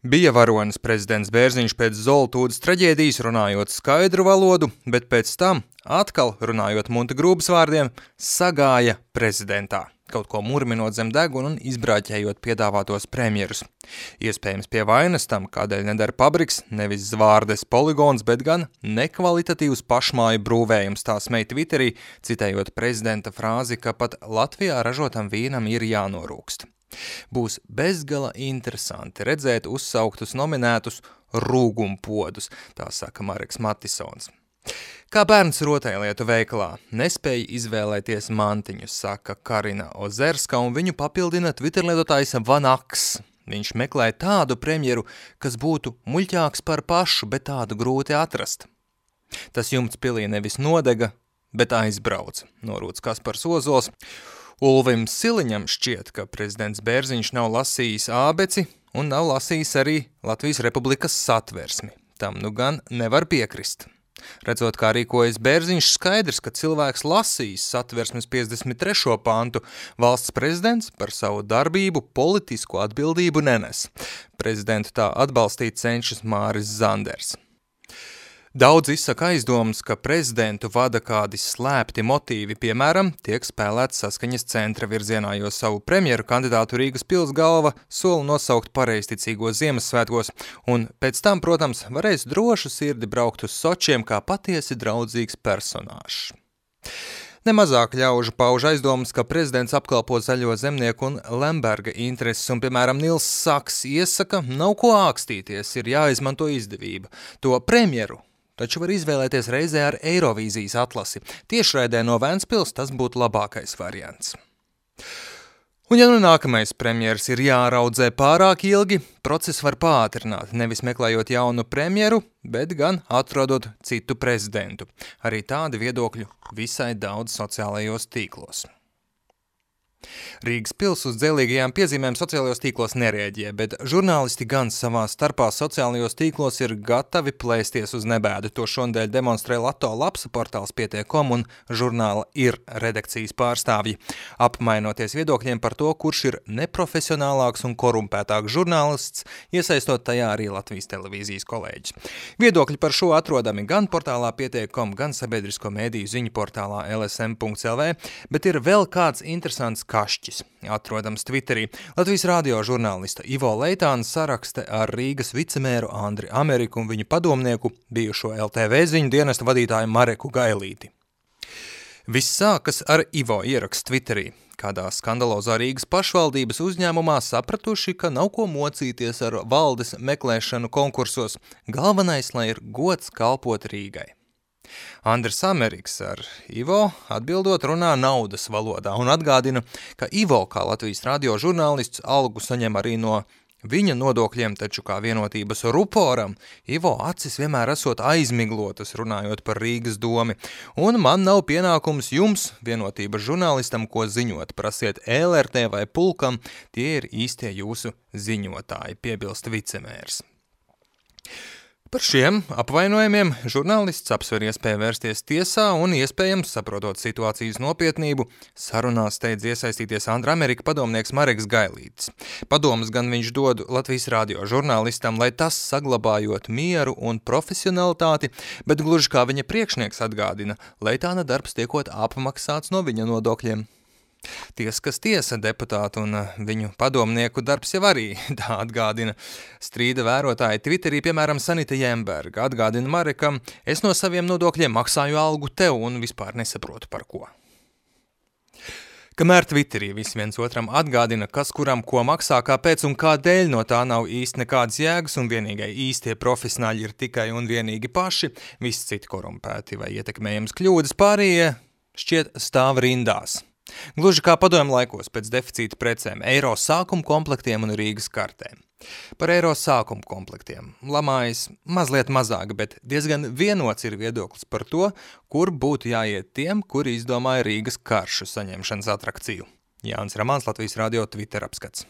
Bija varonis prezidents Bērziņš pēc Zoltūdas traģēdijas runājot skaidru valodu, bet pēc tam atkal runājot Munta Grūbas vārdiem, sagāja prezidentā, kaut ko murminot zem deguna un izbrāķējot piedāvātos premjerus. Iespējams pie vainas tam, kādēļ nedara pabriks, nevis zvārdes poligons, bet gan nekvalitatīvs pašmāju brūvējums, tā smej Twitterī, citējot prezidenta frāzi, ka pat Latvijā ražotam vīnam ir jānorūkst. Būs bezgala interesanti redzēt uzsauktus nominētus rūgumpodus, tā saka Mareks Matisons. Kā bērns rotaļlietu veikalā, nespēja izvēlēties mantiņus, saka Karina Ozerska, un viņu papildina Twitter lietotājs Vanaks. Viņš meklē tādu premjeru, kas būtu muļķāks par pašu, bet tādu grūti atrast. Tas jumts pilī nevis nodega, bet aizbrauca, norūdz Kaspars Ozols. Ulvim Siliņam šķiet, ka prezidents Bērziņš nav lasījis ābeci un nav lasījis arī Latvijas Republikas satversmi. Tam nu gan nevar piekrist. Redzot, kā rīkojas Bērziņš, skaidrs, ka cilvēks lasījis satversmes 53. pantu, valsts prezidents par savu darbību politisko atbildību nenes. Prezidentu tā atbalstīt cenšas Māris Zanders. Daudz izsaka aizdomas, ka prezidentu vada kādi slēpti motīvi, piemēram, tiek spēlēts saskaņas centra virzienā, jo savu premjeru kandidātu Rīgas pils galva sola nosaukt pareizticīgos Ziemassvētkos, un pēc tam, protams, varēs drošu sirdi braukt uz Sočiem kā patiesi draudzīgs personāžs. Nemazāk ļaužu pauž aizdomas, ka prezidents apkalpo Zaļo zemnieku un Lemberga intereses, un, piemēram, Nils Saks iesaka, nav ko ākstīties, ir jāizmanto izdevība. To premjeru taču var izvēlēties reizē ar Eirovīzijas atlasi. Tiešraidē no Ventspils tas būtu labākais variants. Un ja nu nākamais premjers ir jāraudzē pārāk ilgi, procesu var pātrināt, nevis meklējot jaunu premjeru, bet gan atrodot citu prezidentu. Arī tādi viedokļu visai daudz sociālajos tīklos. Rīgas pils uz dzelīgajām piezīmēm sociālajos tīklos nerēģē, bet žurnālisti gan savā starpā sociālajos tīklos ir gatavi plēsties uz nebēdu. To šonadēļ demonstrē Lato lapsa portāls Pietiek.com un žurnāla Ir redakcijas pārstāvji, apmainoties viedokļiem par to, kurš ir neprofesionālāks un korumpētāks žurnālists, iesaistot tajā arī Latvijas televīzijas kolēģis. Viedokļi par šo atrodami gan portālā Pietiek.com, gan sabiedrisko mēdīju ziņu portālā lsm.lv, bet ir vēl kāds interesants kašķis, atrodams Twitterī. Latvijas radio žurnālista Ivo Leitāns sarakste ar Rīgas vicemēru Andri Ameriku un viņu padomnieku, bijušo LTV ziņu dienesta vadītāju Mareku Gailīti. Viss sākas ar Ivo ierakstu Twitterī. Kādā skandalozā Rīgas pašvaldības uzņēmumā sapratuši, ka nav ko mocīties ar valdes meklēšanu konkursos. Galvenais, lai ir gods kalpot Rīgai. Andris Ameriks ar Ivo atbildot runā naudas valodā un atgādina, ka Ivo kā Latvijas radio žurnālists algu saņem arī no viņa nodokļiem, taču kā vienotības ruporam, Ivo acis vienmēr esot aizmiglotas runājot par Rīgas domi, un man nav pienākums jums, vienotības žurnālistam, ko ziņot, prasiet LRT vai pulkam, tie ir īstie jūsu ziņotāji, piebilst vicemērs. Par šiem apvainojumiem žurnālists apsver iespēju vērsties tiesā un iespējams, saprotot situācijas nopietnību, sarunās steidz iesaistīties Andra Amerika padomnieks Mareks Gailītis. Padomas gan viņš dod Latvijas radio žurnālistam, lai tas saglabājot mieru un profesionalitāti, bet gluži kā viņa priekšnieks atgādina, Leitāna darbs tiekot apmaksāts no viņa nodokļiem. Ties, kas tiesa deputātu un viņu padomnieku darbs jau arī, tā atgādina strīda vērotāji Twitterī, piemēram, Sanita Jemberga, atgādina Marekam, es no saviem nodokļiem maksāju algu tev un vispār nesaprotu par ko. Kamēr Twitterī visi viens otram atgādina, kas kuram ko maksā, kāpēc un kādēļ no tā nav īsti nekādas jēgas un vienīgai īstie profesionāļi ir tikai un vienīgi paši, visi citi korumpēti vai ietekmējams kļūdas, pārējie šķiet stāv rindās. Gluži kā padomju laikos pēc deficīta precēm, eiro sākuma komplektiem un Rīgas kartēm. Par eiro sākuma komplektiem lamājas mazliet mazāk, bet diezgan vienots ir viedoklis par to, kur būtu jāiet tiem, kuri izdomāja Rīgas karšu saņemšanas atrakciju. Jānis Ramāns, Latvijas radio Twitter apskats.